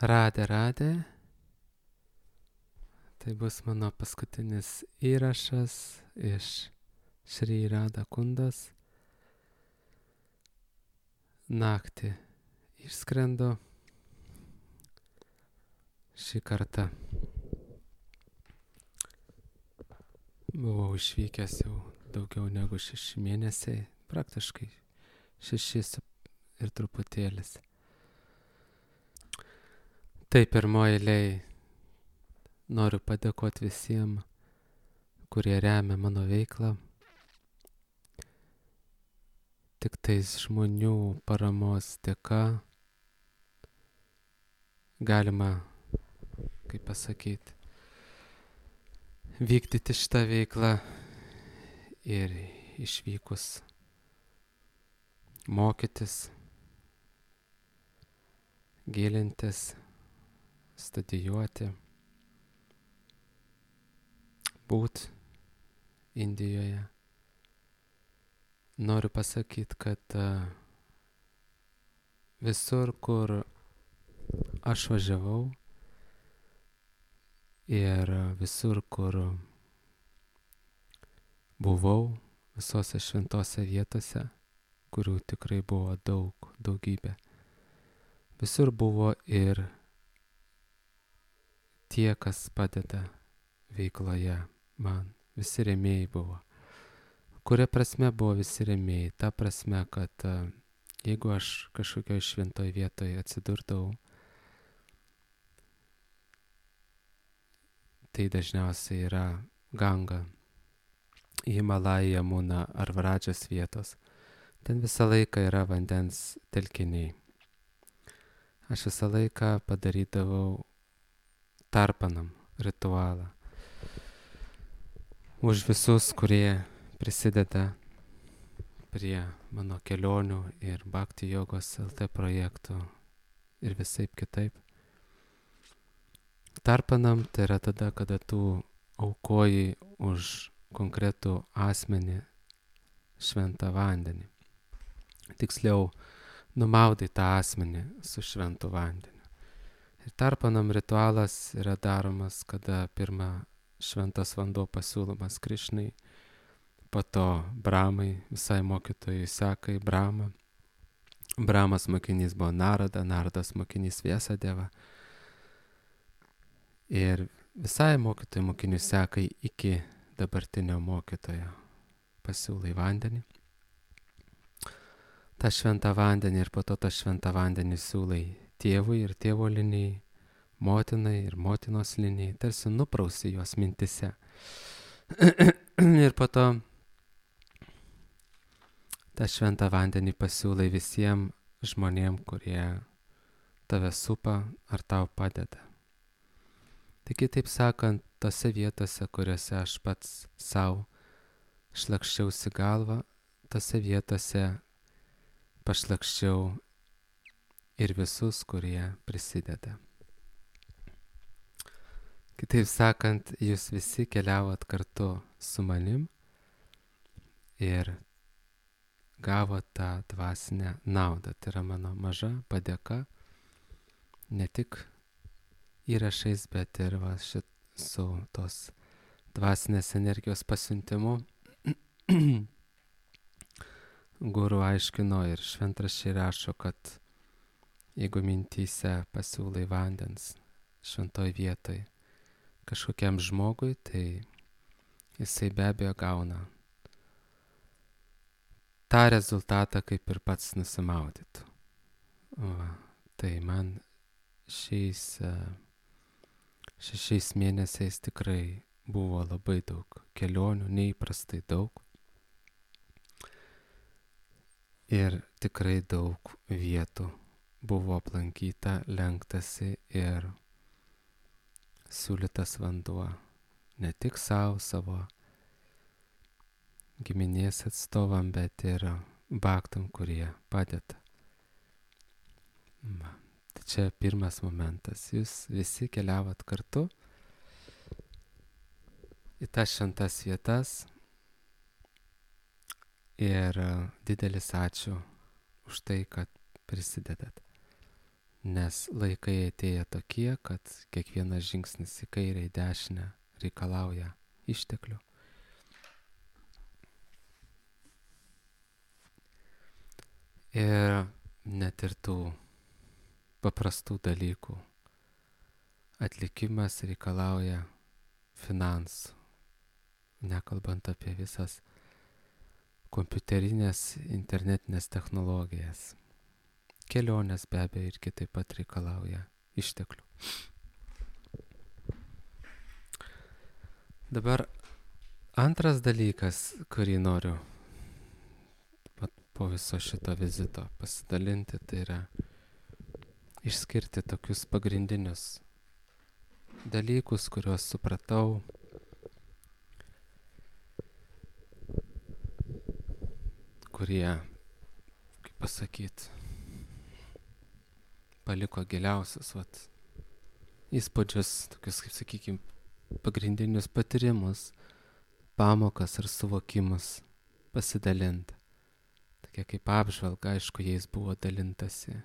Radė. Tai bus mano paskutinis įrašas iš Šri Radha Kundas. Naktį išskrendu šį kartą. Buvau išvykęs jau daugiau negu 6 mėnesiai, praktiškai 6 ir truputėlis. Tai pirmoji eilėje noriu padėkoti visiems, kurie remia mano veiklą. Tik tais žmonių paramos dėka galima, kaip pasakyti, vykdyti šitą veiklą ir išvykus mokytis, gilintis, studijuoti, būt Indijoje. Noriu pasakyti, kad visur, kur aš važiavau ir visur, kur buvau, visose šventose vietose, kurių tikrai buvo daugybė. Visur buvo ir tie, kas padeda veikloje man. Visi rėmėjai buvo. Kuria prasme buvo visi rėmėjai? Ta prasme, kad jeigu aš kažkokioj šventoj vietoje atsidurdavau, tai dažniausiai yra Ganga, Himalaya, Jamuna ar Vradžos vietos. Ten visą laiką yra vandens telkiniai. Aš visą laiką padarydavau tarpanam ritualą. Už visus, kurie prisideda prie mano kelionių ir Bhakti Jogos LT projektų ir visaip kitaip. Tarpanam tai yra tada, kada tu aukoji už konkretų asmenį šventą vandenį. Tiksliau, numaudai tą asmenį su šventu vandeniu. Ir tarpanam ritualas yra daromas, kada pirmą šventas vanduo pasiūlomas Krišnai, po to Brahmai, visai mokytojai sekai Brahma. Brahmas mokinys buvo Narada, Naradas mokinys Vyasadeva. Ir visai mokytojai mokinių sekai iki dabartinio mokytojo pasiūlai vandenį. tą šventą vandenį ir po to tą šventą vandenį siūlai tėvui ir tėvo linijai, motinai ir motinos linijai, tarsi nuprausi juos mintise. Ir po to tą šventą vandenį pasiūlai visiems žmonėm, kurie tave supa ar tau padeda. Taigi, taip sakant, tose vietose, kuriuose aš pats savo šlakščiausi galvą, tose vietose pašlakščiau ir visus, kurie prisideda. Kitaip sakant, jūs visi keliavot kartu su manim ir gavot tą dvasinę naudą. Tai yra mano maža padėka, ne tik įrašais, bet ir su tos dvasinės energijos pasiuntimu. Guru aiškino ir šventraščiai rašo, kad jeigu mintyse pasiūlai vandens šventoj vietoj kažkokiam žmogui, tai jisai be abejo gauna tą rezultatą, kaip ir pats nusimaudytų. Tai man šiais 6 mėnesiais tikrai buvo labai daug kelionių, neįprastai daug. Ir tikrai daug vietų buvo aplankyta, lenktasi ir siūlytas vanduo. Ne tik savo giminės atstovam, bet ir bhaktam, kurie padeda. Tai čia pirmas momentas. Jūs visi keliavot kartu į tas šventas vietas. Ir didelis ačiū už tai, kad prisidedat. nes laikai atėję tokie, kad kiekvienas žingsnis į kairę, į dešinę reikalauja išteklių. Ir net ir tų paprastų dalykų atlikimas reikalauja finansų, nekalbant apie visas kompiuterinės, internetinės technologijas. Kelionės be abejo irgi taip pat reikalauja išteklių. Dabar antras dalykas, kurį noriu po viso šito vizito pasidalinti, tai yra išskirti tokius pagrindinius dalykus, kuriuos supratau kurie, kaip pasakyt, paliko giliausius įspūdžius, tokius, kaip sakykim, pagrindinius patyrimus, pamokas ar suvokimus pasidalinti. Tokia kaip apžvalga, aišku, jais buvo dalintasi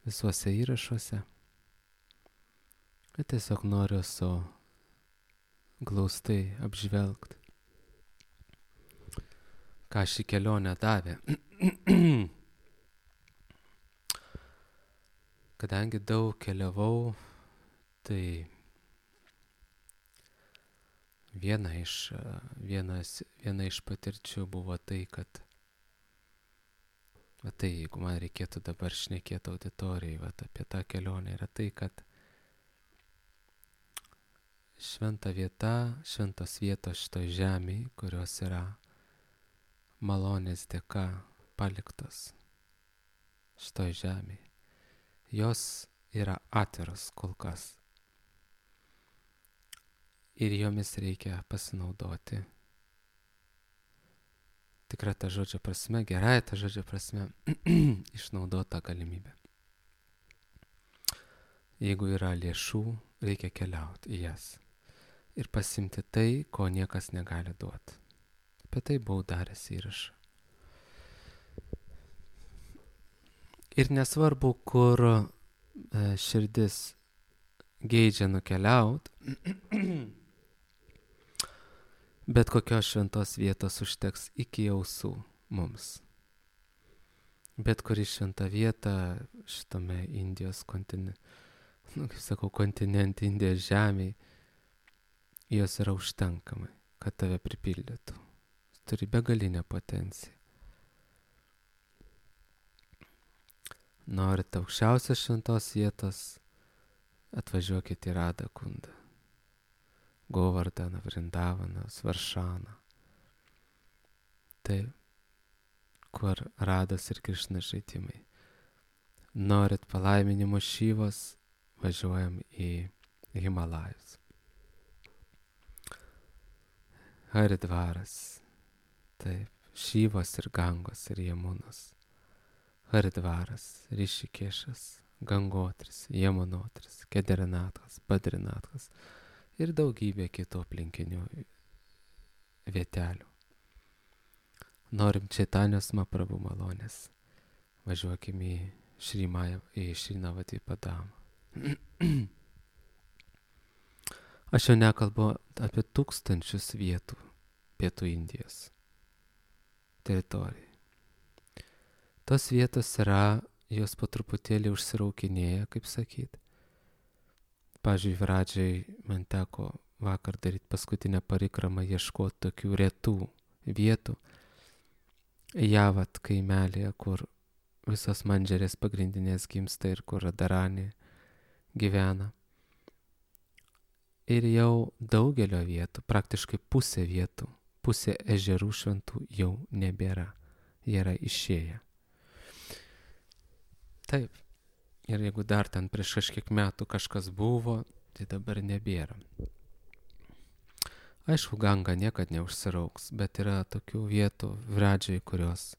visuose įrašuose. Bet tiesiog noriu glaustai apžvelgti, ką ši kelionė davė. Kadangi daug keliavau, tai viena iš patirčių buvo tai, kad jeigu man reikėtų dabar šnekėti auditorijai apie tą kelionę, yra tai, kad šventos vietos šitoj žemėj, kurios yra malonės dėka paliktos šitoj žemėj, jos yra atviros kol kas. Ir jomis reikia pasinaudoti. Tikra ta žodžio prasme, gerąja ta žodžio prasme, išnaudota galimybė. Jeigu yra lėšų, reikia keliauti į jas ir pasimti tai, ko niekas negali duoti. Apie tai buvau daręs įrašą. Ir nesvarbu, kur širdis geidžia nukeliaut, bet kokios šventos vietos užteks iki ausų mums. Bet kuri šventa vieta šitame Indijos kontinente, Indijos žemėje, jos yra užtenkamai, kad tave pripildytų. Turi begalinę potenciją. Norite aukščiausios šventos vietos, atvažiuokite į Radhakundą, Govardaną, Vrindavaną, Svaršaną. Tai, kur Rados ir Krišnos žaidimai. Norit palaiminimo Šivos, važiuojam į Himalajus. Haridvaras. Taip, Šivos ir Gangos ir Jamunos. Haridvaras, Rišikešas, Gangotris, Jamunotris, Kederinathas, Badrinathas ir daugybė kitų aplinkinių vietelių. Norim Čaitanijos Mahaprabhu malonės, važiuokim į Šrinavati Padamą. Aš jau nekalbu apie tūkstančius vietų Pietų Indijos teritorijai. Tos vietos yra, jos po truputėlį užsiraukinėja, kaip sakyt. Pavyzdžiui, Viradžiai man teko vakar daryti paskutinę parikramą, ieškoti tokių retų vietų. Javat kaimelėje, kur visos mandžerės pagrindinės gimsta ir kur Radharani gyvena. Ir jau daugelio vietų, praktiškai pusė vietų, pusė ežerų šventų jau nebėra. Jie yra išėję. Taip. Ir jeigu dar ten prieš kažkiek metų kažkas buvo, tai dabar nebėra. Aišku, Ganga niekad neužsirauks, bet yra tokių vietų Viradžiai, kurios,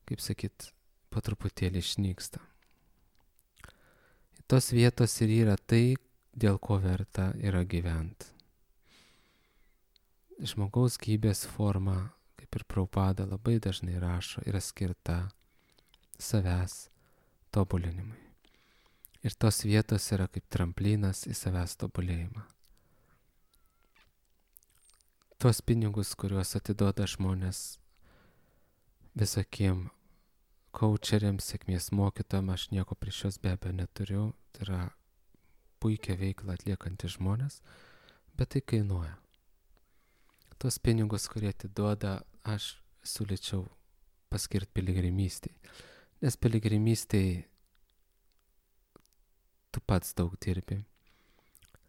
kaip sakyt, po truputėlį išnyksta. Tos vietos ir yra tai, dėl ko verta yra gyventi. Žmogaus gyvybės forma, kaip ir Prabhupada labai dažnai rašo, yra skirta savęs tobulinimui. Ir tos vietos yra kaip tramplinas į savęs tobulėjimą. Tuos pinigus, kuriuos atiduoda žmonės visokiem coacheriams, sėkmės mokytojams, aš nieko prieš juos be abejo neturiu. Tai yra puikia veikla atliekantys žmonės, bet tai kainuoja. Tuos pinigus, kurie atiduoda, aš siūlyčiau paskirti piligrimystei. Nes piligrimystei tu pats daug dirbi,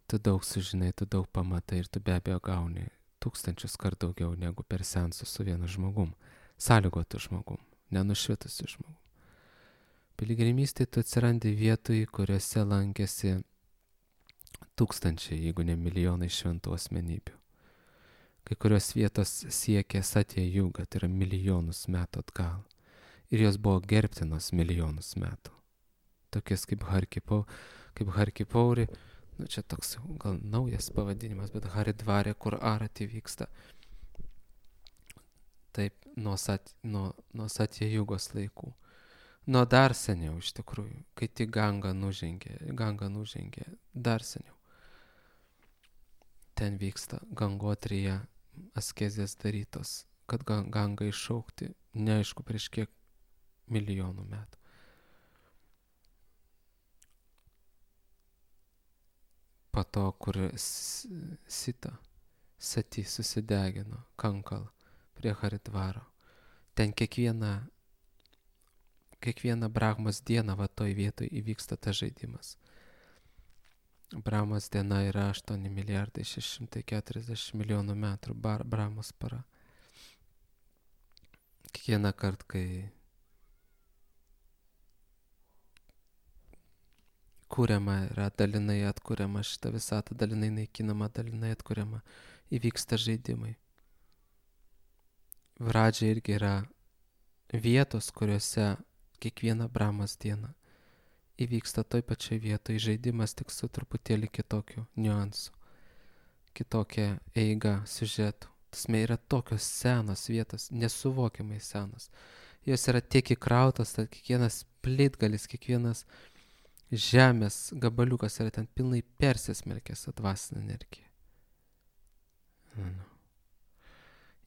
tu daug sužinai, tu daug pamatai ir tu be abejo gauni 1000 kart daugiau negu per seansus su vienu žmogum, sąlygotu žmogum, nenušvitusiu žmogum. Piligrimystėje tu atsirandi vietoj, kuriuose lankėsi 1000, jeigu ne milijonai šventų asmenybių. Kai kurios vietos siekia Satya Juga, tai yra milijonus metų atgal. Ir jos buvo gerbtinos milijonus metų. Tokias kaip Harkipauri, čia toks gal naujas pavadinimas, bet Haridvarė, kur arati vyksta. Taip, nuo Satya Jugos laikų. Nuo dar seniau iš tikrųjų, kai tik Ganga nužengė, dar seniau. Ten vyksta Gangotrija askezės darytos, kad Ganga iššaukti, neaišku prieš kiek milijonų metų. Po to, kur Sati susidegino Kankal prie Haridvaro, ten kiekvieną Brahmos dieną va toj vietoj įvyksta tas žaidimas. Brahmos diena yra 8 milijardai 640 milijonų metų Brahmos para. Kiekvieną kartą, kai kūriama yra dalinai atkuriama šitą visatą, dalinai naikinama, dalinai atkuriama, įvyksta žaidimai. Vradžia irgi yra vietos, kuriuose kiekvieną Brahmos dieną įvyksta toj pačioj vietoje žaidimas, tik su truputėlį kitokiu niuansu, kitokia eiga siužetų. Tasme yra tokios senos vietos, nesuvokiamai senos. Jos yra tiek įkrautos, tad kiekvienas plitgalis, kiekvienas žemės gabaliukas yra ten pilnai persismelkęs dvasinę energiją.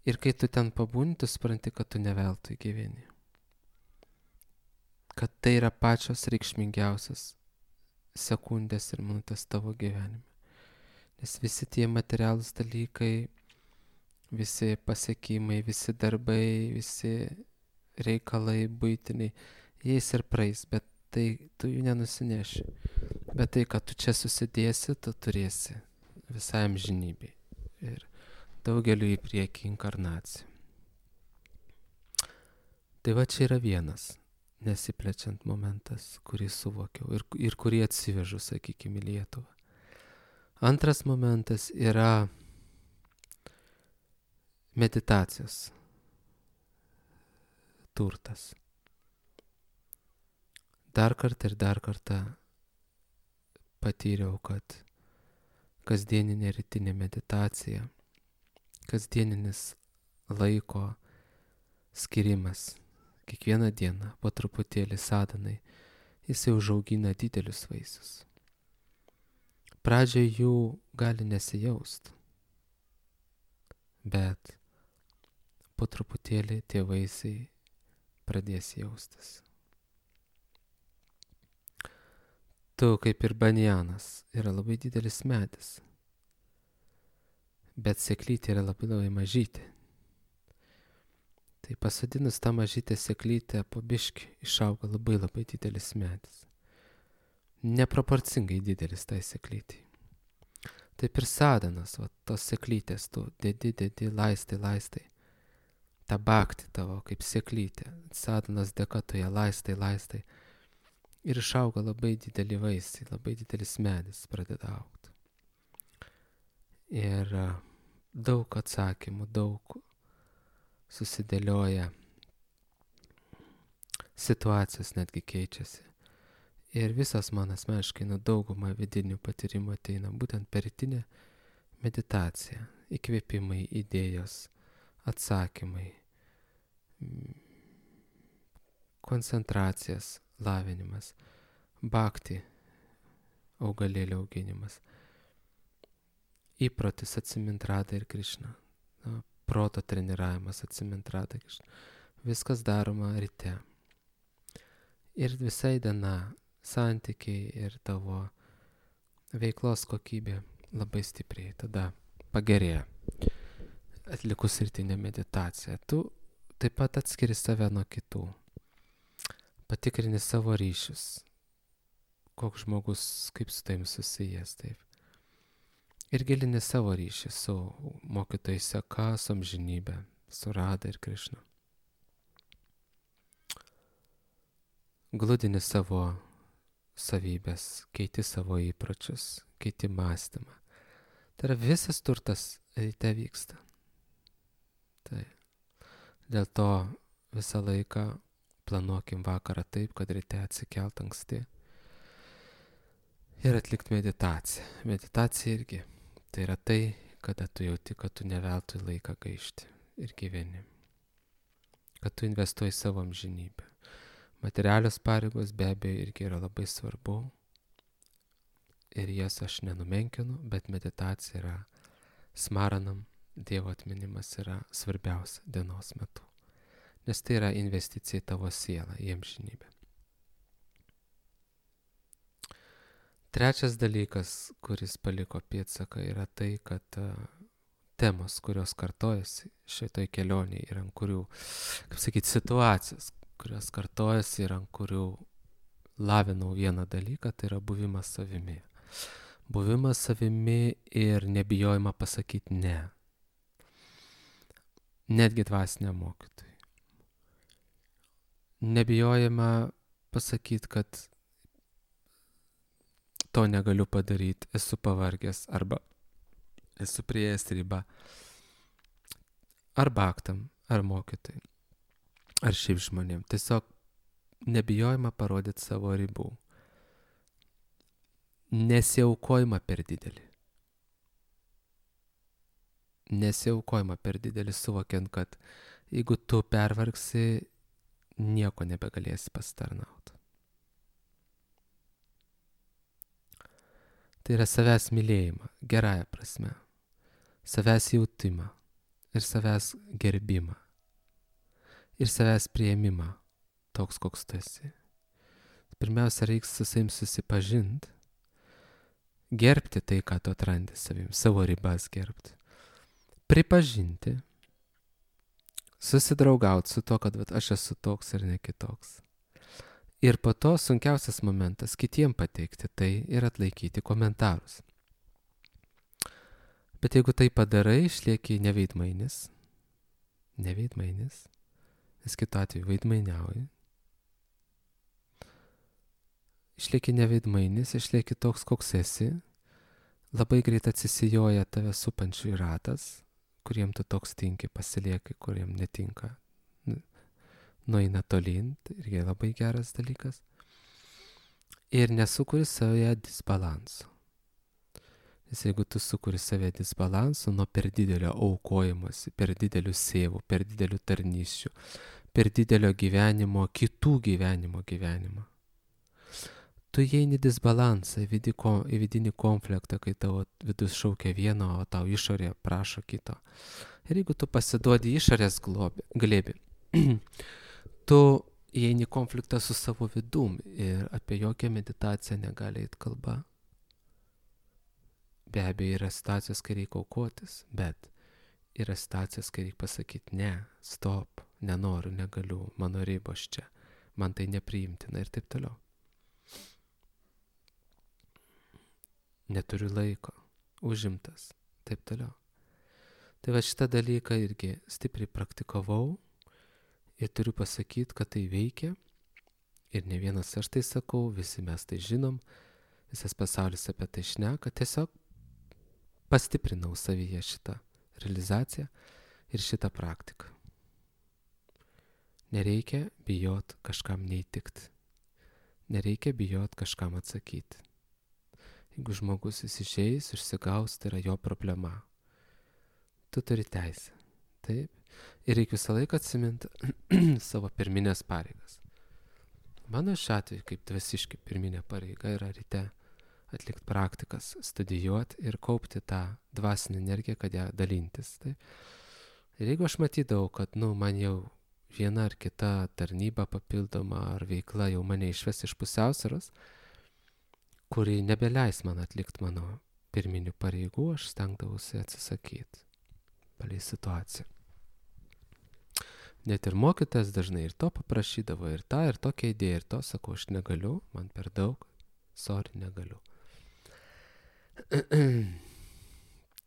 Ir kai tu ten pabūni, tu supranti, kad tu ne veltui gyveni. Kad tai yra pačios reikšmingiausias sekundės ir minutės tavo gyvenime. Nes visi tie materialūs dalykai, visi pasiekimai, visi darbai, visi reikalai buitiniai, jais ir praeis, bet tai tu jų nenusineši. Bet tai, kad tu čia susidėsi, tu turėsi visai amžinybei ir daugeliu į priekį inkarnacijų. Tai va čia yra vienas nesiplečiant momentas, kurį suvokiau ir kurį atsivežu, sakykime, į Lietuvą. Antras momentas yra meditacijos turtas. Dar kartą patyriau, kad kasdieninė rytinė meditacija, kasdieninis laiko skirimas, kiekvieną dieną po truputėlį sadanai, jisai užaugina didelius vaisius. Pradžioje jų gali nesijaust, bet po truputėlį tie vaisiai pradės jaustis. Tu kaip ir banjanas yra labai didelis medis, bet sėklytė yra labai mažytė. Tai pasodinus tą mažytę sėklytę po biškį išauga labai didelis medis. Neproporcingai didelis tai sėklytei. Taip ir sadanas, va, tos sėklytės tu dedi, laistai. Ta bhakti tavo kaip sėklytė. Sadanas dėka tu ją laistai. Ir išauga labai dideli vaisiai, labai didelis medis pradeda augti. Ir daug atsakymų, daug susidėlioja, situacijos netgi keičiasi. Ir visas man asmeniškai dauguma vidinių patyrimų ateina būtent per rytinę meditaciją, įkvėpimai, idėjos, atsakymai, koncentracijos lavinimas, bhakti augalėlio auginimas. Įprotis atsimint Radą ir Krišną. Proto treniravimas atsimint Radą ir Krišną. Viskas daroma ryte. Ir visai diena santykiai ir tavo veiklos kokybė labai stipriai tada pagerėja. Atlikus rytinę meditaciją. Tu taip pat atskiri save nuo kitų. Patikrini savo ryšius. Koks žmogus, kaip su taim susijęs, taip. Ir gilini savo ryšį su mokytojai seka, su amžinybė, su Rada ir Krišna. Gludini savo savybės, keiti savo įpročius, keiti mąstymą. Tai yra visas turtas ryte vyksta. Tai dėl to visą laiką planuokim vakarą taip, kad ryte atsikelt anksti ir atlikt meditaciją. Meditacija irgi tai yra tai, kada tu jauti, kad tu neveltui laiką gaišti ir gyveni. Kad tu investuoji savo amžinybę. Materialios pareigos be abejo irgi yra labai svarbu ir jas aš nenumenkinu, bet meditacija yra smaranam, Dievo atminimas yra svarbiausia dienos metu. Nes tai yra investicija į tavo sielą, į amžinybę. Trečias dalykas, kuris paliko pėdsaką, yra tai, kad temos, kurios kartojasi šitoj kelionėje ir ant kurių, kaip sakyti, situacijos, kurios kartojasi ir ant kurių lavinau vieną dalyką, tai yra buvimas savimi. Buvimas savimi ir nebijojimą pasakyti ne. Netgi dvasiniam mokytojui. Nebijojimą pasakyti, kad to negaliu padaryti, esu pavargęs arba esu prieėjęs ribą. Arba aktam, ar mokytojai, ar šiaip žmonėm. Tiesiog nebijojimą parodyti savo ribų. Nesiaukojimą per didelį. Nesiaukojimą per didelį, suvokiant, kad jeigu tu pervargsi, nieko nebegalėsi pasitarnauti. Tai yra savęs mylėjimą, gerąją prasme. Savęs jautimą ir savęs gerbimą. Ir savęs priėmimą, toks koks tu esi. Pirmiausia, reiks su savim susipažinti. Gerbti tai, ką tu atrandi savim, savo ribas gerbti. Pripažinti, susidraugauti su to, kad aš esu toks ir ne kitoks. Ir po to sunkiausias momentas kitiem pateikti tai ir atlaikyti komentarus. Bet jeigu tai padarai, išlieki neveidmainis, nes kitu atveju veidmainiauji. Išlieki neveidmainis, išlieki toks, koks esi, labai greit atsisijoja tave supančių ratas, kuriem tu toks tinki, pasilieki, kuriem netinka, nueina tolyn, tai irgi labai geras dalykas. Ir nesukuri savoje disbalanso. Nes jeigu tu sukuri savoje disbalanso nuo per didelio aukojimosi, per didelių sėvų, per didelių tarnysčių, per didelio gyvenimo, kitų gyvenimo, tu įeini disbalansą, į vidinį konfliktą, kai tavo vidus šaukia vieno, o tau išorė prašo kito. Ir jeigu tu pasiduodi išorės glėbį, tu įeini konfliktą su savo vidum ir apie jokią meditaciją negali eit kalba. Be abejo, yra situacijos, kai reikia aukotis, bet yra situacijos, kai reikia pasakyti ne, stop, nenoriu, negaliu, mano ribos čia, man tai nepriimtina ir taip toliau. Neturiu laiko, užimtas, taip toliau. Tai va šitą dalyką irgi stipriai praktikavau ir turiu pasakyti, kad tai veikia ir ne vienas aš tai sakau, visi mes tai žinom, visas pasaulis apie tai šneka, tiesiog pastiprinau savyje šitą realizaciją ir šitą praktiką. Nereikia bijot kažkam neįtikti, nereikia bijot kažkam atsakyti. Jeigu žmogus išeis, išsigaus, tai yra jo problema. Tu turi teisę. Taip. Ir reikia visą laiką atsiminti savo pirminės pareigas. Mano šiuo atveju, kaip dvasiškai pirminė pareiga yra ryte atlikti praktikas, studijuoti ir kaupti tą dvasinę energiją, kad ją dalintis. Tai. Ir jeigu aš matydavau, kad man jau viena ar kita tarnyba papildoma ar veikla jau mane išves iš pusiausvyros, kuri nebeleis man atlikti mano pirminių pareigų, aš stengdavausi atsisakyti palei situaciją. Net ir mokytas dažnai ir to paprašydavo, ir tą, ir tokią idėją, ir to, sakau, aš negaliu, man per daug, sorry, negaliu.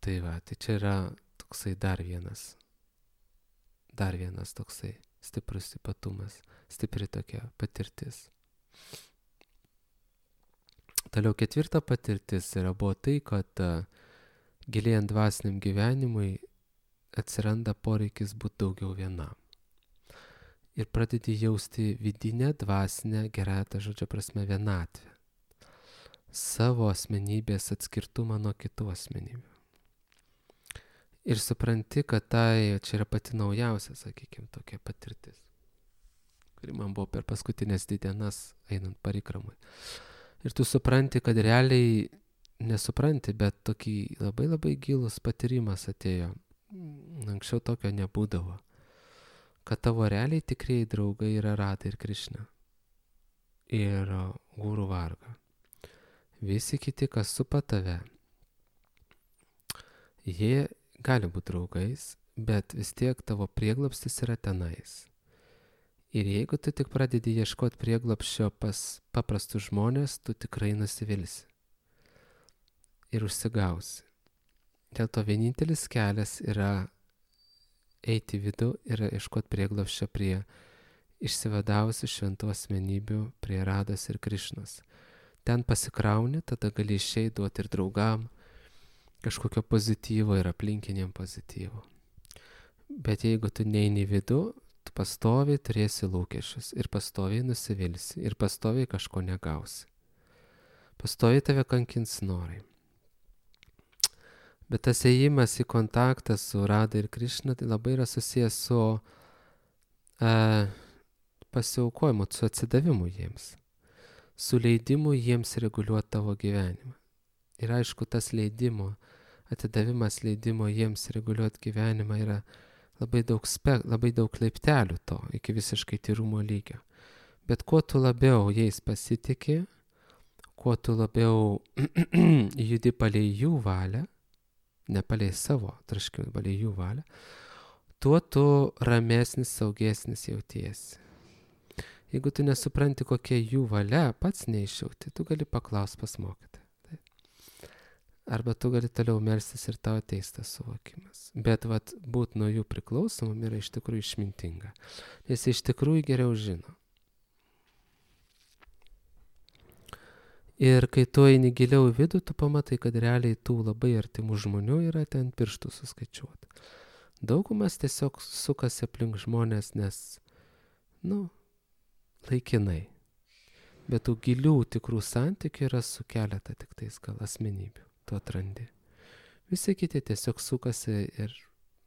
Tai va, tai čia yra toksai dar vienas toksai stiprus ypatumas, stipri tokia patirtis. Toliau 4 patirtis buvo tai, kad gilėjant dvasiniam gyvenimui atsiranda poreikis būti daugiau vienam. Ir pradedi jausti vidinę, dvasinę, gerąją tą žodžio prasme vienatvę. Savo asmenybės atskirtumą nuo kitų asmenybių. Ir supranti, kad čia yra pati naujausia, sakykime, tokia patirtis, kuri man buvo per paskutinės 2 dienas einant parikramui. Ir tu supranti, kad realiai nesupranti, bet tokį labai labai gilus patyrimas atėjo. Anksčiau tokio nebūdavo. Kad tavo realiai tikrieji draugai yra Radha ir Krišna. Ir Guru Varga. Visi kiti, kas supa tave, jie gali būti draugais, bet vis tiek tavo prieglobstis yra tenais. Ir jeigu tu tik pradedi ieškoti prieglobsčio pas paprastus žmonės, tu tikrai nusivilsi. Ir užsigausi. Dėl to vienintelis kelias yra eiti į vidų ir ieškoti prieglobsčio prie išsivadavusių šventų asmenybių, prie Radhos ir Krišnos. Ten pasikrauni, tada gali išeiti, duoti ir draugam kažkokio pozityvo ir aplinkiniam pozityvo. Bet jeigu tu neini į vidų, tu pastoviai turėsi lūkesčius ir pastoviai nusivilsi ir pastoviai kažko negausi. Pastoviai tave kankins norai. Bet tas ėjimas į kontaktą su Radha ir Krišna tai labai yra susijęs su pasiaukojimu, su atsidavimu jiems, su leidimu jiems reguliuoti tavo gyvenimą. Ir aišku, tas atidavimas leidimo jiems reguliuoti gyvenimą yra labai daug laiptelių to, iki visiškai tyrumo lygio. Bet kuo tu labiau jais pasitiki, kuo tu labiau judi palei jų valią, ne palei savo traškimą, palei jų valią, tuo tu ramesnis, saugesnis jautiesi. Jeigu tu nesupranti, kokia jų valia, pats neišjauti, tu gali paklausti pas mokytoją. Arba tu gali toliau melstis ir tau ateis tas suvokimas. Bet būt nuo jų priklausomam yra iš tikrųjų išmintinga. Nes iš tikrųjų geriau žino. Ir kai tu eini giliau į vidų, tu pamatai, kad realiai tų labai artimų žmonių yra ten pirštų suskaičiuoti. Daugumas tiesiog sukasi aplink žmonės, nes, laikinai. Bet tų gilių tikrų santykių yra su keletą tik tais gal asmenybių. Tu atrandi. Visi kiti tiesiog sukasi ir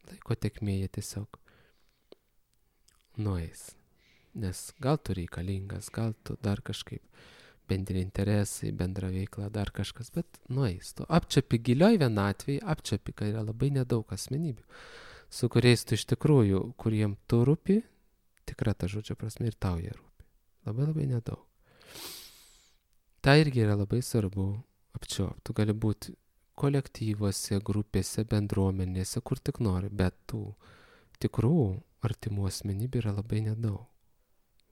laiko tekmėje tiesiog nueis. Nes gal tu reikalingas, gal tu dar kažkaip bendri interesai, bendra veikla, dar kažkas, bet nueis. Tu apčiapi gilioj vienatvėje, apčiapi, kad yra labai nedaug asmenybių, su kuriais tu iš tikrųjų, kuriem tu rūpi, tikra ta žodžio prasme, ir tau jie rūpi. Labai labai nedaug. Tai irgi yra labai svarbu apčiuopti. Tu gali būti kolektyvuose, grupėse, bendruomenėse, kur tik nori, bet tų tikrų artimų asmenybių yra labai nedaug,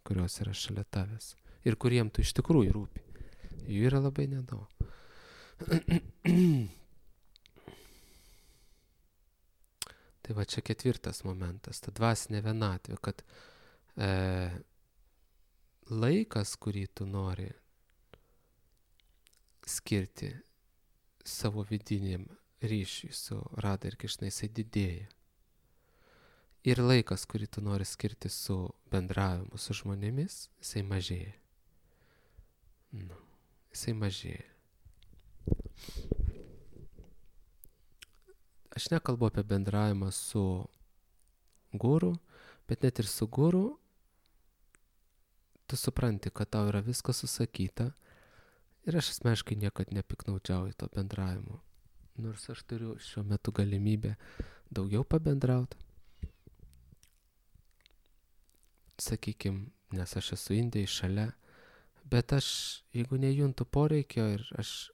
kurios yra šalia tavęs. Ir kuriem tu iš tikrųjų rūpi. Jų yra labai nedaug. Tai va čia 4 momentas, ta dvasinė vienatvė, kad laikas, kurį tu nori skirti savo vidiniam ryšiui su Radha ir Krišna, jisai didėja. Ir laikas, kurį tu nori skirti su bendravimu su žmonėmis, jisai mažėja. Jisai mažėja. Aš nekalbu apie bendravimą su guru, bet net ir su guru tu supranti, kad tau yra viskas susakyta Ir aš asmeniškai niekad nepiknaudžiauju to bendravimu. Nors aš turiu šiuo metu galimybę daugiau pabendrauti. Sakykime, nes aš esu Indijai šalia, bet aš, jeigu nejuntu poreikio, ir aš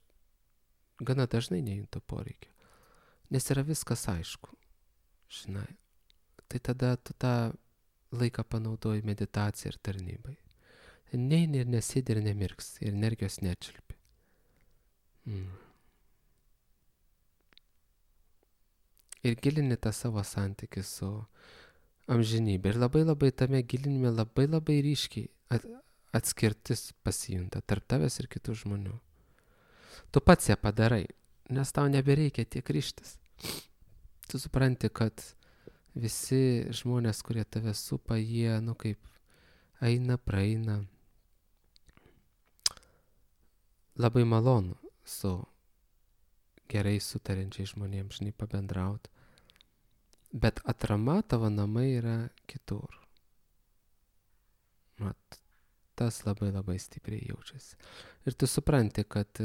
gana dažnai nejuntu poreikio, nes yra viskas aišku, žinai, tai tada tu tą laiką panaudoji meditacijai ir tarnybai. Neini ir nesėdi ir nemirks, ir energijos nečiulpi. Ir gilini tą savo santykį su amžinybė. Ir labai tame gilinime labai ryškiai atskirtis pasijunta tarp tavęs ir kitų žmonių. Tu pats ją padarai, nes tau nebereikia tiek ryštis. Tu supranti, kad visi žmonės, kurie tave supa, jie, kaip eina, praeina. Labai malonu su gerai sutariančiai žmonėms, žinai, pabendrauti. Bet atrama tavo namai yra kitur. Mat, tas labai stipriai jaučiasi. Ir tu supranti, kad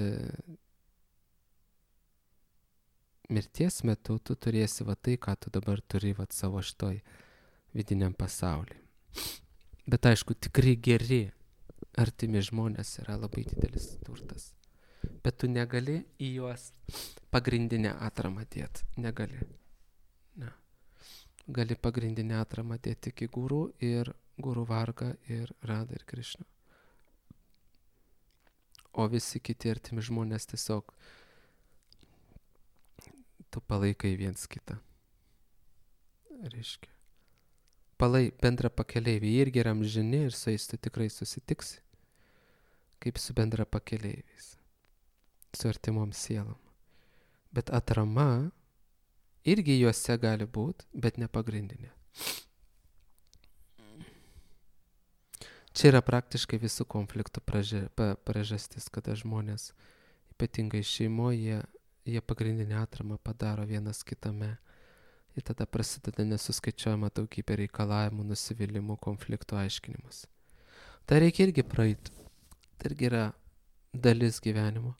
mirties metu tu turėsi tai, ką tu dabar turi savo šitoj vidiniam pasaulyje. Bet aišku, tikrai geri, artimi žmonės yra labai didelis turtas. Bet tu negali į juos pagrindinę atramą dėti. Negali. Ne. Gali pagrindinę atramą dėti tik į guru ir Guru Vargą ir Radą ir Krišną. O visi kiti artimi žmonės tiesiog tu palaikai viens kitą. Reiškia. Bendra pakeleivį irgi yra amžini ir su jais tu tikrai susitiksi. Kaip su bendra pakeleiviais. Su artimom sielom. Bet atrama irgi juose gali būti, bet ne pagrindinė. Čia yra praktiškai visų konfliktų priežastis, kada žmonės, ypatingai šeimoje, jie pagrindinę atramą padaro vienas kitame. Ir tada prasideda nesuskaičiuojama daugybė reikalavimų, nusivylimų, konfliktų aiškinimas. Tai reikia irgi praeiti. Tai irgi yra dalis gyvenimo.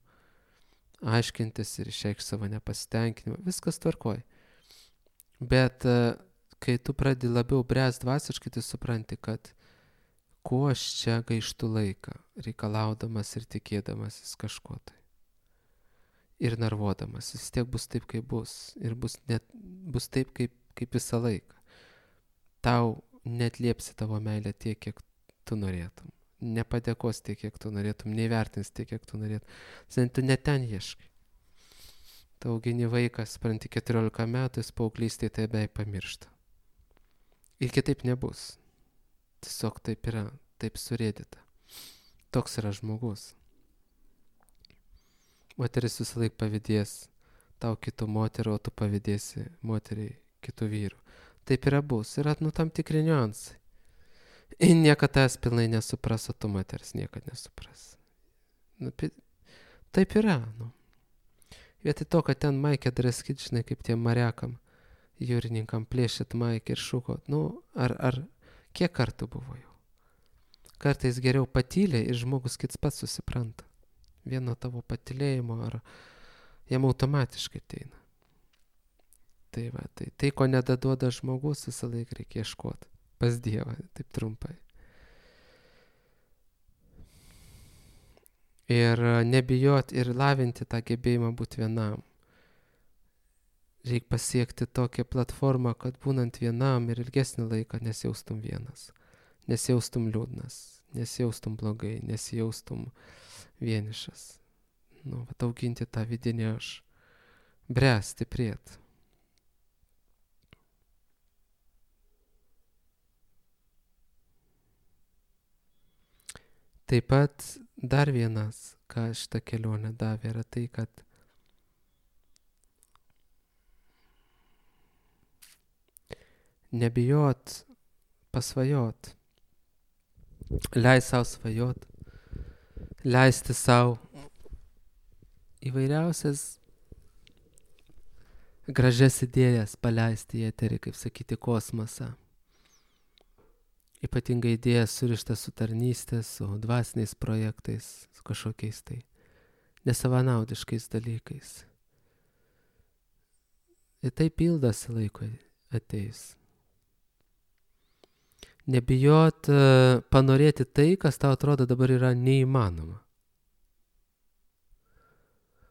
Aiškintis ir išreikšti savo nepasitenkinimą. Viskas tvarkoj. Bet kai tu pradedi labiau bręsti dvasiškai, tu supranti, kad kuo aš čia gaištu laiką, reikalaudamas ir tikėdamasis kažko tai. Ir nervuodamas. Vis tiek bus taip, kaip bus. Ir bus taip, kaip visą laiką. Tau netliepsi tavo meilę tiek, kiek tu norėtum. Nepadėkos tiek, kiek tu norėtum. Neįvertins tiek, kiek tu norėtum. Tu ne ten ieškai. Tu augini vaikas, supranti, 14 metų, jis paauglystėje tai beveik pamiršta. Ir kitaip nebus. Tiesiog taip yra, taip surėdyta. Toks yra žmogus. Moteris visą laik pavydės tau kitų moterų, o tu pavydėsi moteriai kitų vyrų. Taip yra bus. Yra tam tikri niuansai. Ir niekad tas pilnai nesupras, o tu moteris niekad nesupras. Taip yra. Vietoj to, kad ten maikę draskit, žinai, kaip tiem mariakam, jūrininkam plėšit maikę ir šūkot. Ar kiek kartų buvo jau? Kartais geriau patylė ir žmogus kits pats susipranta. Vieno tavo patylėjimo, ar jam automatiškai ateina. Tai ko nedaduoda žmogus, visą laiką reikia ieškoti pas Dievą, taip trumpai. Ir nebijot ir lavinti tą gebėjimą būti vienam. Reikia pasiekti tokią platformą, kad būnant vienam ir ilgesnį laiką nesijaustum vienas. Nesijaustum liūdnas, nesijaustum blogai, nesijaustum vienišas. Auginti tą vidinį aš. Bręsti, stiprėti. Taip pat dar vienas, ką šitą kelionę davė, yra tai, kad nebijot pasvajot. Leis savo svajot. Leisti savo įvairiausias gražias idėjas paleisti į eterį, kaip sakyti, kosmosą. Ypatingai idėjas surištas su tarnystės, su dvasiniais projektais, su kažkokiais tai nesavanaudiškais dalykais. Ir tai pildosi laikui ateis. Nebijot panorėti tai, kas tau atrodo dabar yra neįmanoma.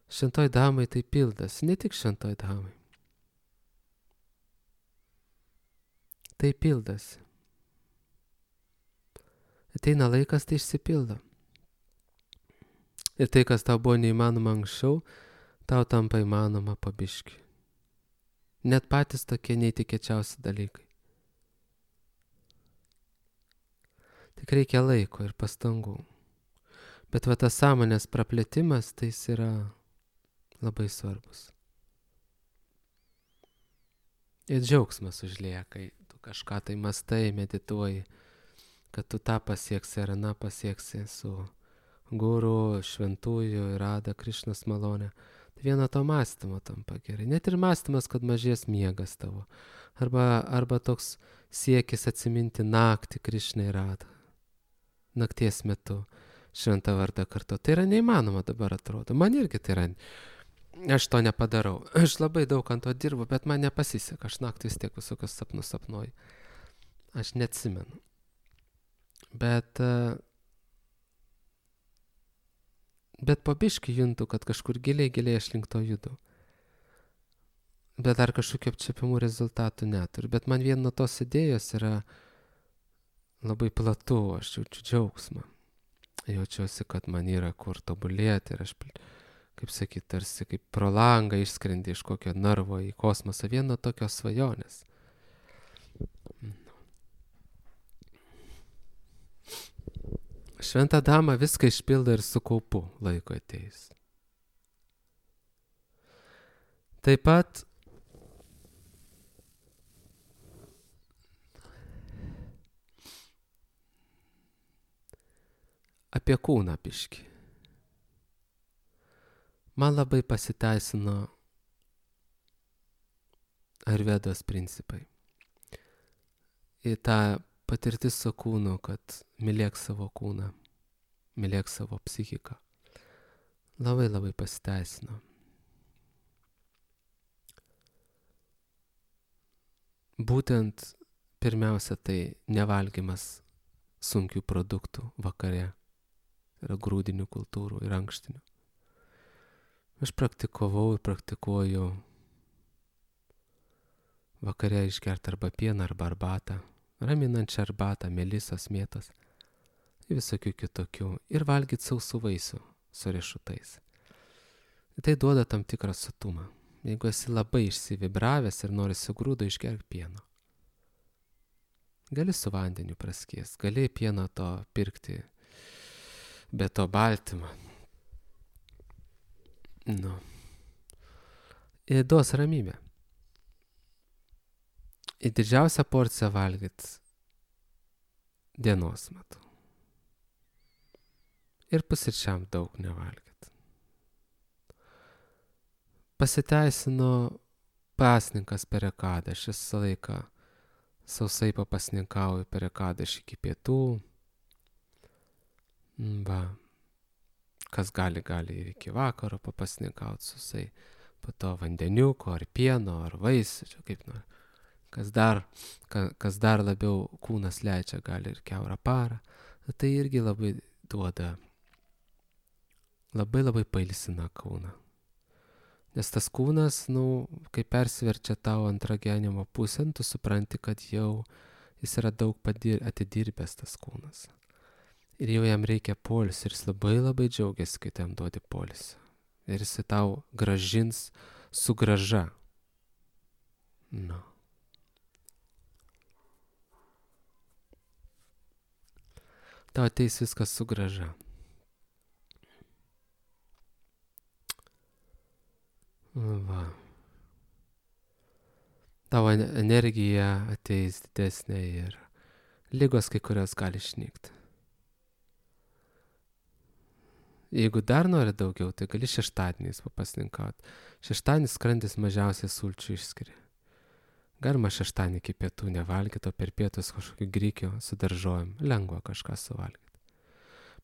Šventoj damai tai pildosi, ne tik šventoj damai. Tai pildosi. Ateina laikas, tai išsipildo. Ir tai, kas tau buvo neįmanoma anksčiau, tau tampa įmanoma po biškį. Net patys tokie neįtikėčiausi dalykai. Tik reikia laiko ir pastangų. Bet va tas sąmonės praplėtimas, tai jis yra labai svarbus. Ir džiaugsmas užlieja, kai tu kažką tai mastai, medituoji, kad tu tą pasieksi ar aną pasieksi su guru, šventųjų, Rada, Krišnos malonė. Tai vieno to mąstymo tampa gerai. Net ir mąstymas, kad mažės miegas tavo. Arba toks siekis atsiminti naktį Krišnai Rada. Nakties metu šventą vardą kartu. Tai yra neįmanoma dabar atrodo. Man irgi tai yra. Aš to nepadarau. Aš labai daug ant to dirbu, bet man nepasiseka. Aš naktį vis tiek visokius sapnus sapnuoju. Aš neatsimenu. Bet po biškį juntu, kad kažkur giliai aš link to judu. Bet dar kažkokių apčiopimų rezultatų neturiu. Bet man vien nuo tos idėjos yra labai platu, aš jaučiu džiaugsmą. Jaučiuosi, kad man yra kur tobulėti ir aš, kaip sakyt, tarsi kaip pro langą išskrendi iš kokio narvo į kosmosą, vien nuo tokios svajonės. Šventa dama viską išpildo ir su kaupu laiko ateis. Taip pat apie kūną biškį. Man labai pasiteisino Ayurvedos principai. Į tą patirtis su kūnu, kad mylėk savo kūną, mylėk savo psichiką. Labai pasiteisino. Būtent pirmiausia tai nevalgymas sunkių produktų vakare. Yra grūdinių kultūrų ir ankštinių. Aš praktikavau ir praktikuoju vakare išgerti arba pieną, arba arbatą, raminančią arbatą, melisos, mėtos, visokių kitokių, ir valgyti sausų vaisių su riešutais. Tai duoda tam tikrą sotumą. Jeigu esi labai išsivibravęs ir norisi grūdo, išgerk pieno. Gali su vandeniu praskies, gali pieno to pirkti be to baltymą. Ir duos ramybę. Ir didžiausią porciją valgyt dienos metu. Ir pusryčiam daug nevalgyt. Pasiteisino pasninkas per ekadą. Aš visą laiką sausai papasninkauju per ekadą iki pietų. Kas gali ir iki vakaro papasninkauti sausai. Po to vandeniuko, ar pieno, ar vaisių, kaip nori. Kas dar labiau kūnas leidžia, gali ir kiaurą parą. Tai irgi labai duoda, labai pailsina kūną. Nes tas kūnas, kai persiverčia tau antrą gyvenimo pusę, tu supranti, kad jau jis yra daug atidirbęs tas kūnas. Ir jau jam reikia poilsio ir jis labai džiaugiasi, kai tam duodi poilsio. Ir jis tau gražins su grąža. Tau ateis viskas su grąža. Tavo energija ateis didesnė ir ligos kai kurios gali išnykti. Jeigu dar nori daugiau, tai gali šeštadieniais papasninkauti. Šeštadienis skrandis mažiausiai sulčių išskiria. Galima šeštadienį iki pietų nevalgyti, o per pietus kažkokį grikio su daržovėm. Lengva kažką suvalgyti.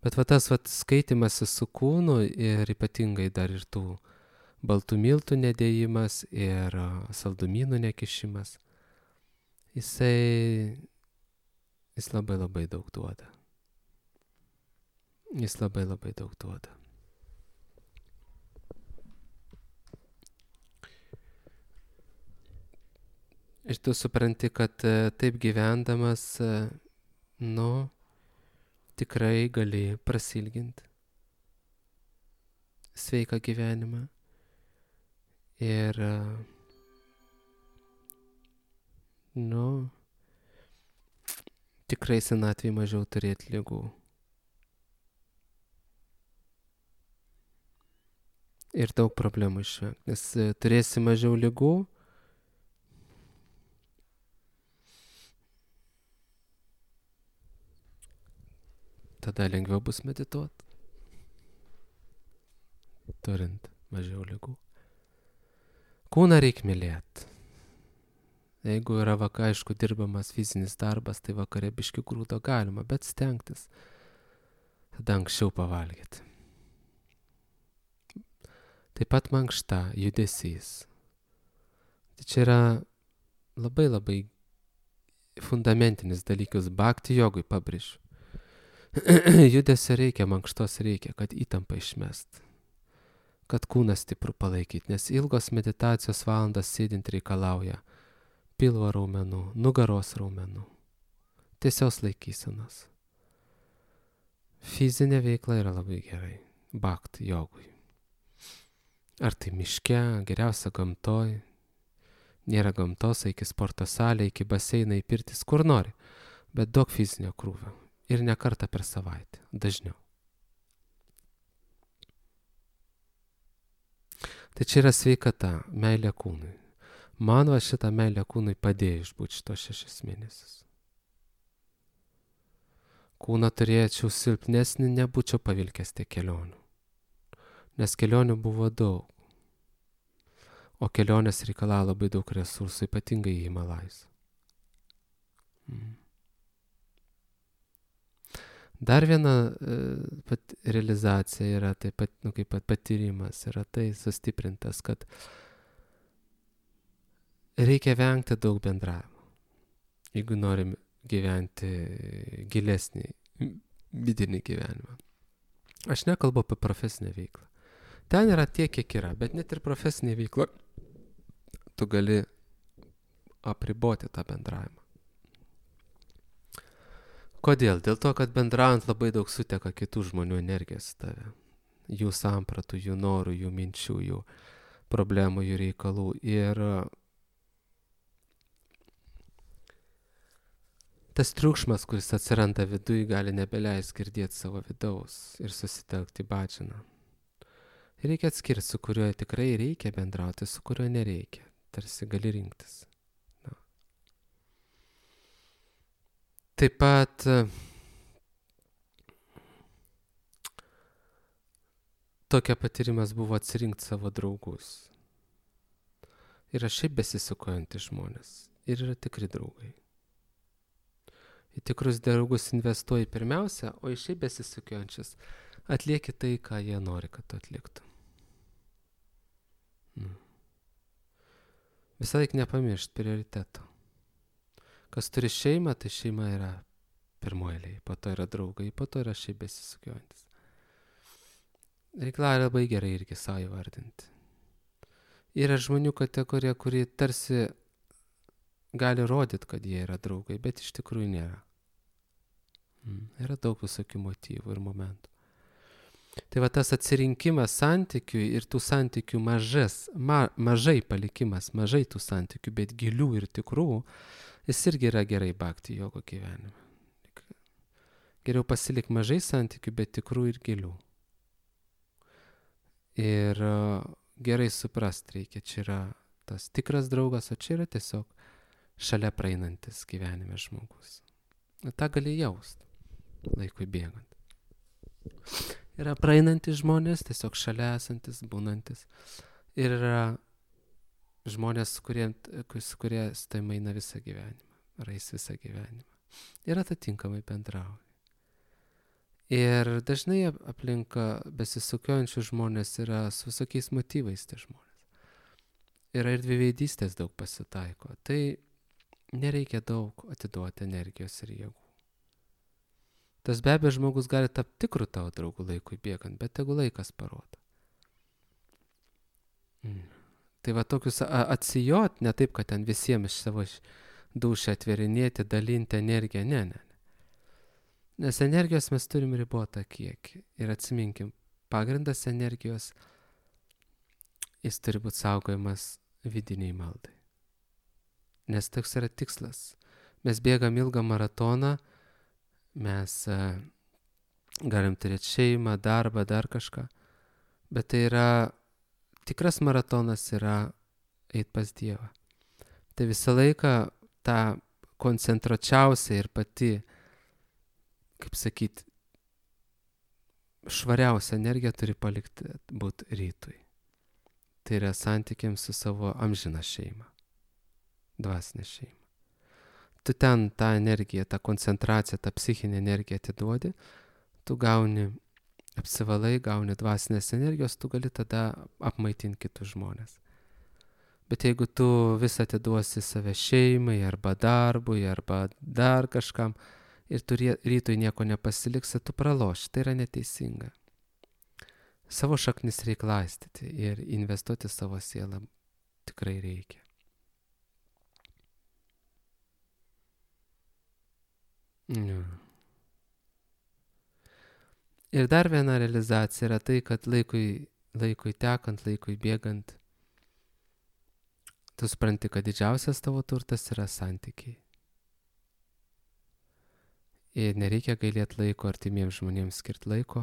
Bet va tas skaitimasis su kūnu ir ypatingai dar ir tų baltų miltų nedėjimas ir saldumynų nekišimas, jis labai labai daug duoda. Jis labai labai daug duoda. Ir tu supranti, kad taip gyvendamas, tikrai gali prasilginti sveiką gyvenimą. Ir, tikrai senatvėje mažiau turėti ligų. Ir daug problemų išvengti, nes turėsi mažiau ligų, tada lengviau bus medituoti, turint mažiau ligų. Kūną reikia mylėti. Jeigu yra aišku dirbamas fizinis darbas, tai vakare biški grūdo galima, bet stengtis tada anksčiau pavalgyti. Taip pat mankšta, judesys. Tai čia yra labai labai fundamentinis dalykas, bhakti jogui pabrėžiu. Judesio reikia, mankštos reikia, kad įtampą išmest, kad kūną stiprų palaikyti, nes ilgos meditacijos valandas sėdint reikalauja pilvo raumenų, nugaros raumenų, tiesios laikysenos. Fizinė veikla yra labai gerai, bhakti jogui. Ar tai miške, geriausia gamtoj, nėra gamtos, iki sporto salė, iki baseiną, į pirtis, kur nori, bet daug fizinio krūvio ir ne kartą per savaitę, dažniau. Tai čia yra sveikata, meilė kūnui. Man va šitą meilę kūnui padėjo išbūti šitos 6 mėnesius. Kūną turėčiau silpnesnį, nebūčiau pavilkęs tiek kelionių. Nes kelionių buvo daug. O kelionės reikalauja labai daug resursų, ypatingai į Himalajus. Dar viena realizacija yra taip pat, kaip patyrimas, yra tai sustiprintas, kad reikia vengti daug bendravimo, jeigu norim gyventi gilesnį vidinį gyvenimą. Aš nekalbu apie profesinę veiklą. Ten yra tiek, kiek yra, bet net ir profesinė veikla tu gali apriboti tą bendravimą. Kodėl? Dėl to, kad bendraujant labai daug suteka kitų žmonių energijos į tave. Jų sampratų, jų norų, jų minčių, jų problemų, jų reikalų. Ir tas triukšmas, kuris atsiranda viduj, gali nebeleis girdėti savo vidaus ir susitelkti bhajaną. Reikia atskirti, su kuriuo tikrai reikia bendrauti, su kuriuo nereikia. Tarsi gali rinktis. Taip pat tokia patyrimas buvo atsirinkti savo draugus. Yra šiaip besisukojantys žmonės ir yra tikri draugai. Į tikrus draugus investuoji pirmiausia, o į šiaip besisukiojančius atlieki tai, ką jie nori, kad tu atliktum. Visą laiką nepamiršt prioriteto. Kas turi šeimą, tai šeima yra pirmoji, po to yra draugai, po to yra šiaip besisukiojantis. Reikia labai gerai irgi savo įvardinti. Yra žmonių kategorija, kuri tarsi gali rodyti, kad jie yra draugai, bet iš tikrųjų nėra. Yra daug visokių motyvų ir momentų. Tai va tas atsirinkimas santykių ir tų santykių mažai palikimas, mažai tų santykių, bet gilių ir tikrų, jis irgi yra gerai bhakti jogo gyvenime. Geriau pasilik mažai santykių, bet tikrų ir gilių. Ir gerai suprast reikia, čia yra tas tikras draugas, o čia yra tiesiog šalia praeinantis gyvenime žmogus. Ta gali jaust laikui bėgant. Yra praeinantis žmonės, tiesiog šalia esantis, būnantis. Ir yra žmonės, su kurie tai eina visą gyvenimą, rais visą gyvenimą. Ir atitinkamai bendrauja. Ir dažnai aplinka besisukiojančių žmonės yra su visokiais motyvais tie žmonės. Yra ir dviveidystės daug pasitaiko. Tai nereikia daug atiduoti energijos ir jėgų. Tas be abejo žmogus gali tapti tikrų tavo draugų laikui bėgant, bet tegu laikas parodo. Tai va tokius atsijot, ne taip, kad ten visiems iš savo dušę atverinėti, dalinti energiją, ne. Nes energijos mes turim ribotą kiekį. Ir atsiminkim, pagrindas energijos, jis turi būti saugojamas vidiniai maldai. Nes toks yra tikslas. Mes bėgam ilgą maratoną, mes galim turėti šeimą, darbą, dar kažką. Bet tai yra, tikras maratonas yra eit pas Dievą. Tai visą laiką tą koncentruočiausią ir pati, kaip sakyti, švariausia energija turi palikti būti rytui. Tai yra santykiams su savo amžina šeima, dvasinė šeima. Tu ten tą energiją, tą koncentraciją, tą psichinę energiją atiduodi, tu gauni, apsivalai, gauni dvasinės energijos, tu gali tada apmaitinti kitus žmonės. Bet jeigu tu visą atiduosi save šeimai, arba darbui, arba dar kažkam, ir tu rytui nieko nepasiliksi, tu praloši, tai yra neteisinga. Savo šaknis reikia laistyti ir investuoti savo sielą tikrai reikia. Ir dar viena realizacija yra tai, kad laikui tekant, laikui bėgant, tu supranti, kad didžiausias tavo turtas yra santykiai. Ir nereikia gailėti laiko artimiems žmonėms skirti laiko,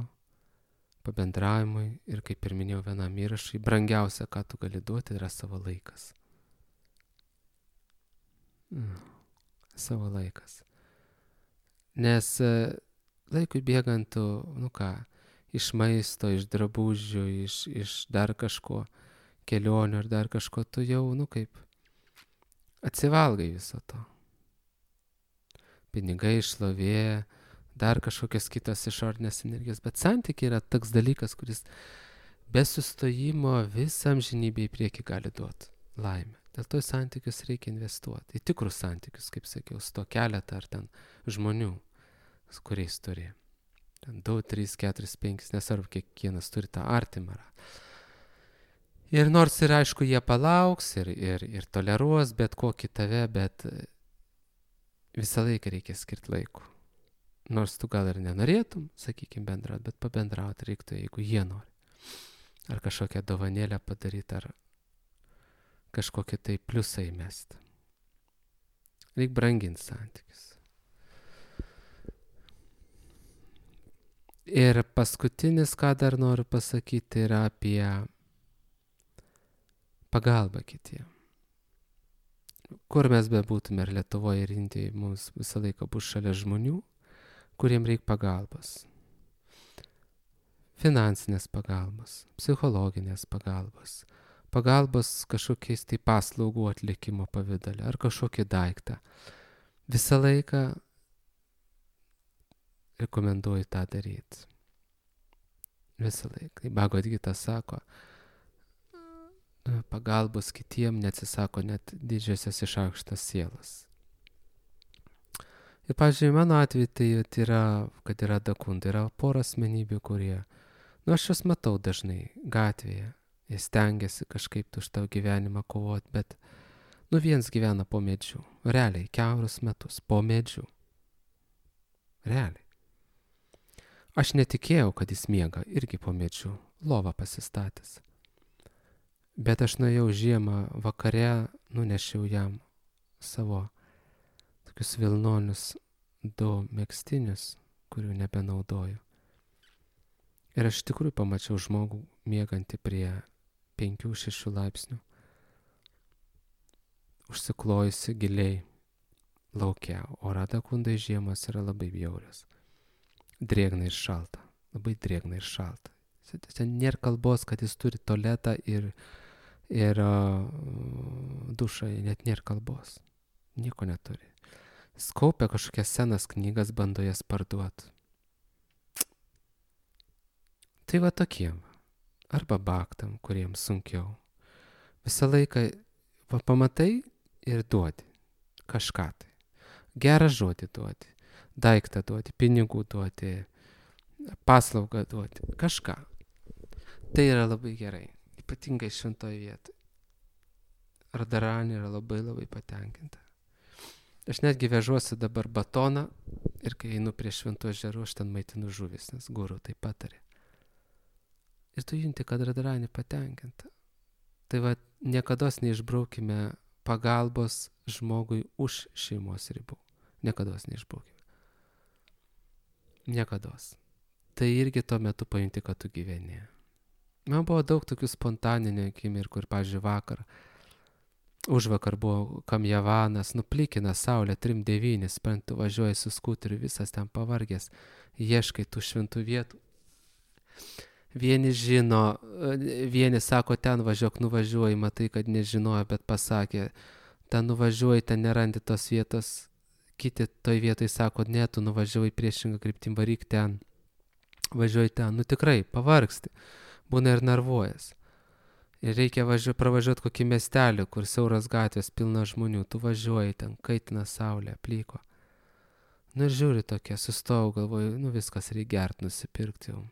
pabendravimui ir, kaip ir minėjau vienam įrašui, brangiausia, ką tu gali duoti, yra savo laikas. Savo laikas. Nes laikui bėgant tu, iš maisto, iš drabužių, iš dar kažko, kelionių ar dar kažko, tu jau, kaip atsivalgai viso to. Pinigai, šlovė, dar kažkokios kitos išorinės energijos, bet santykiai yra toks dalykas, kuris be sustojimo visą amžinybę į priekį gali duoti laimę. Dėl to į santykius reikia investuoti, į tikrus santykius, kaip sakiau, su to keletą ar ten žmonių, su kuriais turi. Ten 2, 3, 4, 5, nesvarbu, kiekvienas turi tą artimą. Ir nors ir aišku, jie palauks ir toleruos bet kokį tave, bet visą laiką reikia skirti laiko. Nors tu gal ir nenorėtum, sakykime, bendrauti, bet pabendrauti reiktų, jeigu jie nori. Ar kažkokią dovanėlę padaryti, ar kažkokį tai pliusą įmesti. Reikia branginti santykius. Ir paskutinis, ką dar noriu pasakyti, yra apie pagalbą kitiem. Kur mes bebūtume, ir Lietuvoje, ir Indijoje, mums visą laiką bus šalia žmonių, kuriem reikia pagalbos. Finansinės pagalbos, psichologinės pagalbos, pagalbos kažkokiais tai paslaugų atlikimo pavidale, ar kažkokį daiktą. Visą laiką rekomenduoju tą daryti. Visą laiką. Bhagavad Gita sako, pagalbos kitiem neatsisako net didžiosios išaukštas sielas. Ir, pavyzdžiui, mano atveju tai yra, kad yra dakunda, yra pora asmenybių, kurie, aš juos matau dažnai gatvėje, jie stengiasi kažkaip už tavo gyvenimą kovoti, bet, viens gyvena po medžiu, realiai, kiaurus metus, po medžiu. Realiai. Aš netikėjau, kad jis miega irgi po medžiu, lovą pasistatęs. Bet aš nuėjau žiemą vakare, nunešiau jam savo tokius vilnonius 2 megztinius, kurių nebenaudoju. Ir aš tikrųjų pamačiau žmogų miegantį prie 5-6 laipsnių, užsiklojusi giliai laukia, o Radakundai žiemos yra labai bjaurios. Drėgna ir šalta, labai drėgna ir šalta. Ten nėra kalbos, kad jis turi tualetą ir dušą, net nėra kalbos. Nieko neturi. Jis kaupia kažkokias senas knygas, bando jas parduoti. Tai va tokiem. Arba baktam, kuriems sunkiau. Visą laiką pamatai ir duodi kažką tai. Gerą žodį duodi, daiktą duodi, pinigų duodi, paslaugą duodi, kažką. Tai yra labai gerai, ypatingai šventoje vietoje. Radharani yra labai labai patenkinta. Aš netgi vežuosi dabar batoną ir kai einu prie šventų ežerų, aš ten maitinu žuvis, nes guru tai patarė. Ir tu junti, kad Radharani patenkinta. Tai va, niekados neišbraukime pagalbos žmogui už šeimos ribų. Niekados neišbraukime. Niekados. Tai irgi tuo metu pajunti, kad tu gyveni. Man buvo daug tokių spontaninių akimirkų ir, pavyzdžiui, užvakar buvo Kamjavanas, nuplikina saulė 3-9, tu važiuoji su skuteriu, visas ten pavargęs, ieškai tų šventų vietų. Vieni žino, vieni sako, ten važiuok, nuvažiuoji, matai, kad nežinojo, bet pasakė, ten nuvažiuoji, ten nerandi tos vietos, kiti toj vietoj sako, ne, tu nuvažiuoji priešingą kryptim, varyk ten, važiuoji ten, nu tikrai, pavargsti, būna ir nervuojas. Ir reikia pravažiuoti kokį miestelį, kur siauras gatvės, pilna žmonių, tu važiuoji ten, kaitina saulė, plyko. Nu ir žiūri tokia, sustojau, galvoju, nu viskas, reikia gert, nusipirkti jau.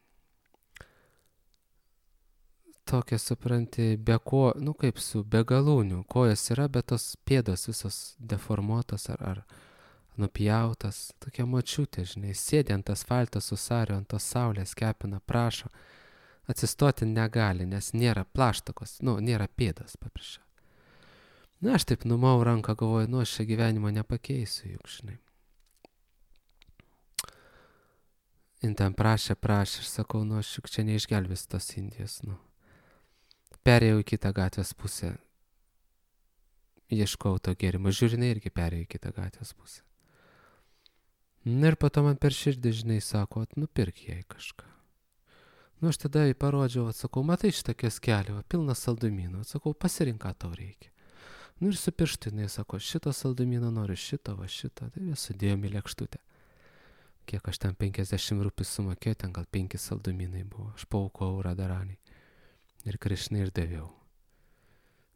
Tokia, supranti, nu kaip su begalūnių, kojas yra, bet tos pėdos visos deformuotos ar nupjautas, tokia močiutė, žinai, sėdi ant asfalto su sariu, ant tos saulės kepina, prašo. Atsistoti negali, nes nėra plaštakos, nėra pėdas paprašė. Na, aš taip numau ranką, galvoju, aš čia gyvenimo nepakeisiu, juk, žinai. Ir ten prašė, aš sakau, aš juk čia neišgelbės tos Indijos, Perėjau į kitą gatvės pusę, ieškau to gėrimo, žiūrinai irgi perėjau į kitą gatvės pusę. Ir po to man per širdį, žinai, sako, nupirk jai kažką. Aš tada jai parodžiau, atsakau, matai šitą kioskelį, pilnas saldumynų, atsakau, pasirink, ką tau reikia. Ir su pirštu, jinai sako, šito saldumyno noriu, šito, tai sudėjom į lėkštutę. Kiek aš ten 50 rupijų sumokėjau, ten gal 5 saldumynai buvo, aš paaukojau Radharani. Ir Krišnai ir daviau.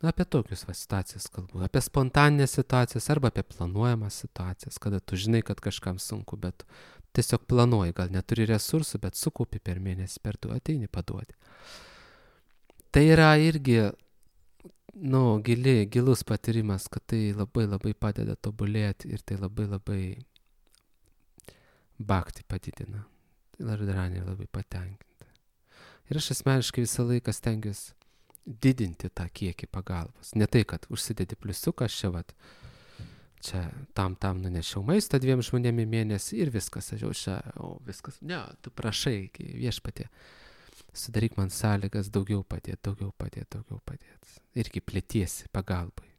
Apie tokius situacijas kalbu, apie spontaninės situacijas arba apie planuojamas situacijas, kada tu žinai, kad kažkam sunku, bet tiesiog planuoji, gal neturi resursų, bet sukaupi per mėnesį, per 2 ateini paduoti. Tai yra irgi, gilus patyrimas, kad tai labai labai padeda tobulėti ir tai labai labai bhakti padidina. Tai Radharani labai patenkinta. Ir aš asmeniškai visą laiką stengiuosi didinti tą kiekį pagalbos. Ne tai, kad užsidedi pliusiuką, čia tam nunešiau maistą 2 žmonėm į mėnesį ir viskas, viskas. Ne, tu prašai, viešpatie, sudaryk man sąlygas daugiau padėti. Irgi plėtiesi pagalbai.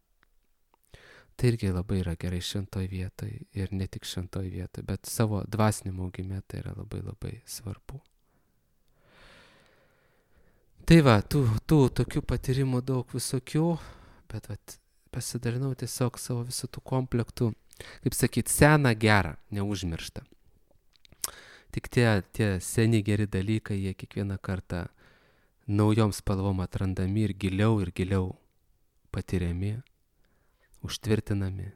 Tai irgi labai yra gerai šventoj vietoj ir ne tik šventoj vietoj, bet savo dvasinimo augime tai yra labai labai svarbu. Tai va, tų tokių patyrimų daug visokių, bet pasidalinau tiesiog savo visų tų komplektų, kaip sakyt, seną gerą, neužmirštą. Tik tie seni geri dalykai, jie kiekvieną kartą naujom spalvom atrandami ir giliau patiriami, užtvirtinami.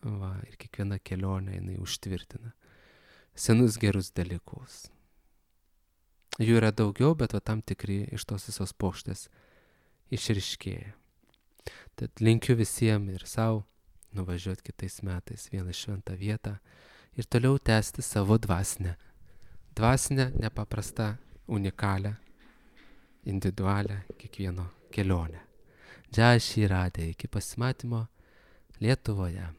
Ir kiekviena kelionė jinai užtvirtina senus gerus dalykus. Jų yra daugiau, bet tam tikri iš tos visos puokštės išryškėja. Tad linkiu visiems ir savo nuvažiuoti kitais metais vieną šventą vietą ir toliau tęsti savo dvasinę, nepaprastą, unikalią, individualią kiekvieno kelionę. Jai Shri Radhe, iki pasimatymo Lietuvoje.